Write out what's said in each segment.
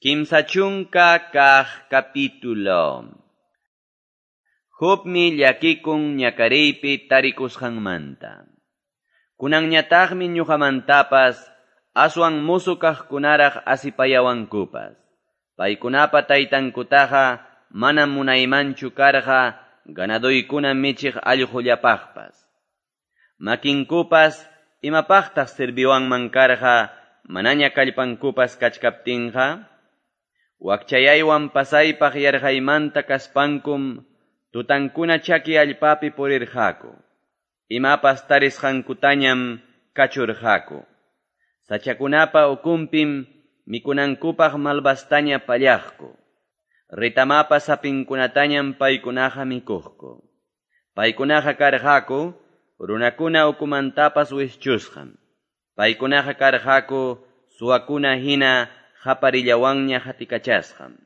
30 kaq capítulo. Jobmi llakikun ñakariypi tarikusqanmanta. Kunanñataqmi ñuqamantapas aswan mozo kaqkunaraq asipayawankupas. Paykunapa taytankutaqa manam munaymanchu karqa ganadoykuna michiq allqullapaqpas. Makinkupas imapaqtaq serviwanman karqa manaña kallpankupas kachkaptinqa? Wakchayaywan pasaypaq yarqaymanta kaspankum tutankuna chaki allpapi purirqaku. Imapas tarisqankutañam kachurqaku. Sachakunapa ukunpim mikunankupaq malvastaña pallaqku. Retamapa sapinkunatañam paykunaqa mikuqku. Paykunaqa karqaku runakuna ukumantapas wischusqam. Paykunaqa karqaku suwakuna hina qaparillawanña qatikachasqam.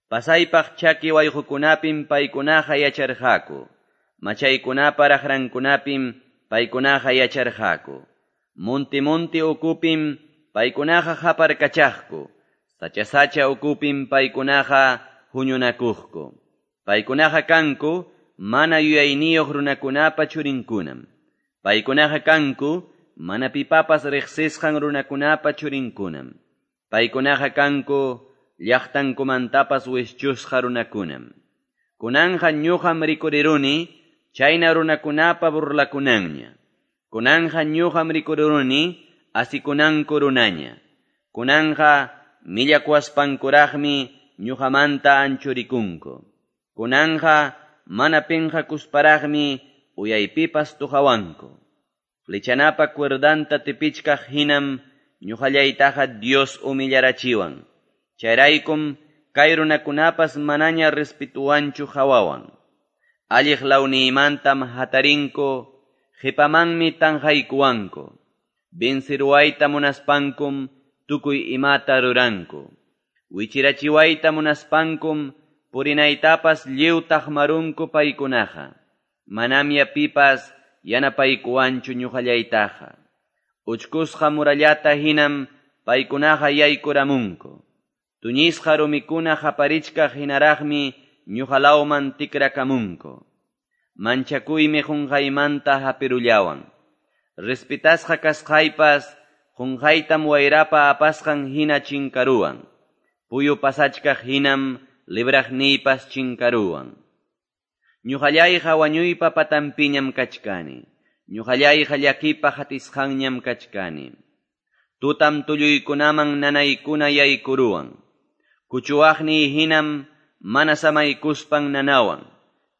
Pasaypaq chaki wayqukunapim paykunaqa yacharqaku. Machaykunapa raqrankunapim paykunaqa yacharqaku. Monti-monti ukupim paykunaqa qaparkachaqku. Sacha-sacha ukupim paykunaqa huñunakuqku. Paykunaqa kanku mana yuyayniyuq runakunapa churinkunam. Paykunaqa kanku mana pipapas riqsisqan runakunapa churinkunam. Paykunaqa kanku llaqtankumantapas wischusqa runakunam. Kunanqa ñuqam rikuriruni chayna runakunapa burlakunanña. Kunanqa ñuqam rikuriruni asikunanku runaña. Kunanqa millakuwaspankuraqmi ñuqamanta anchurikunku. Kunanqa mana pinqakusparaqmi uyaypipas tuqawanku. Flechanapa cuerdanta tipichkaq hinam ñuqallaytaqa Dios humillarachiwan. Chayraykum kay runakunapas manaña respetuwanchu hawawan. Alliq lawniymantam hatarinku, qipamanmi tanqaykuwanku. Venceruwayta munaspankum tukuy imata ruranku. Wichirachiwayta munaspankum purinaytapas lliw taqmarunku paykunaqa. Manamya pipas yanapaykuwanchu ñuqallaytaqa. Uchkusqa murallata hinam paykunaqa yaykuramunku. Tuñisqa rumikuna qaparichkaq hinaraqmi ñuqalawman tikrakamunku. Manchakuymi qunqaymanta hapirullawan. Respetasqa kasqaypas qunqaytam wayrapa apasqan hina chinkaruwan. Puyu pasachkaq hinam libraqniypas chinkaruwan. Ñuqallayqa wañuypa patanpiñam kachkani. Ñuqallayqa llakipa hatisqanñam kachkani. Tutam tulluykunaman nanaykuna yaykuruwan. Kuchuwaqniy hinam mana samaykuspan nanawan.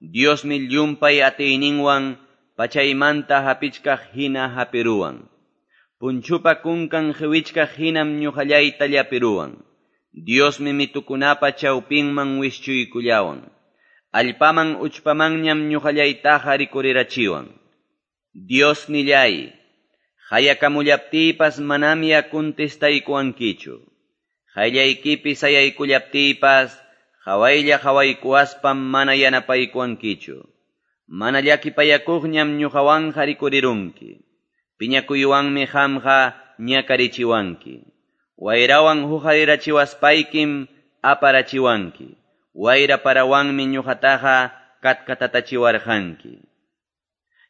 Diosmi llumpay atiyninwan pachaymanta hapichkaq hina hapiruwan. Punchupa kunkan qiwichkaq hinam ñuqallayta llapiruwan. Diosmi mitukunapa chawpinman wischuykullawan. Allpaman uchpamanñam ñuqallaytaqa rikurirachiwan. Dios nillay, hayakamullaptiypas manamya contestaykuwankichu. Qayllaykipi sayaykullaptiypas hawaylla hawaykuwaspam mana yanapaykuwankichu. Mana llakipayakuqñam ñuqawanqa rikurirunki. Piñakuywanmi qamqa ñakarichiwanki. Wayrawan huqarirachiwaspaykim aparachiwanki. Wayra parawanmi ñuqataqa katkatatachiwarqanki.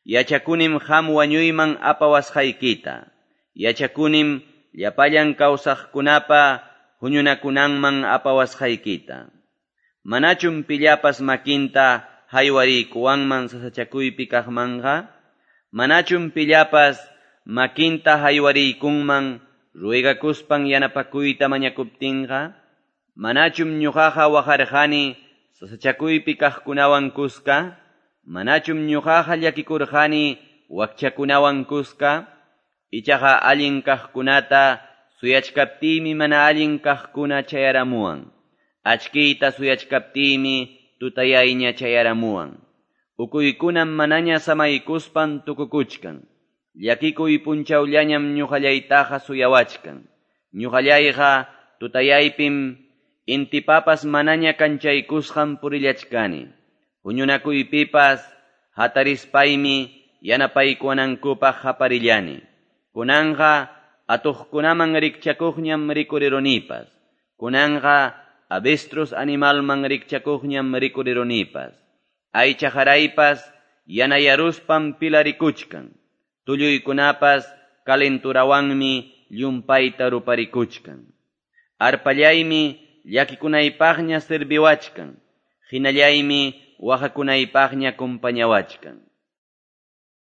Yachakunim qam wañuyman apawasqaykita. Yachakunim llapallan kawsaqkunapa huñunakunanman apawasqaykita. Manachum pillapas makinta haywariykuwanman sasachakuypi kaqmanqa? Manachum pillapas makinta haywariykunman ruegakuspan yanapakuyta mañakuptinqa? Manachum ñuqaqa waqarqani sasachakuypi kaqkunawan kuska? Manachum ñuqaqa llakikurqani wakchakunawan kuska? Ichaqa allin kaqkunata suyachkaptiymi mana allin kaqkuna chayaramuwan. Achkiyta suyachkaptiymi tutayayña chayaramuwan. Ukuykunam manaña samaykuspan tukukuchkan. Llakikuy punchawllañam ñuqallaytaqa suyawachkan. Ñuqallayqa tutayaypim intipapas manaña kanchaykusqan purillachkani. Huñunakuypipas hatarispaymi yanapaykuwanankupaq qaparillani. Kunanqa atuqkunaman rikchakuqñam rikurirunipas. Kunanqa avestruz animalman rikchakuqñam rikurirunipas. Aycha qaraypas yanayaruspam pilarikuchkan. Tulluykunapas calenturawanmi llumpayta ruparikuchkan. Arpallaymi llakikunaypaqña serviwachkan. Hinallaymi waqakunaypaqña compañawachkan.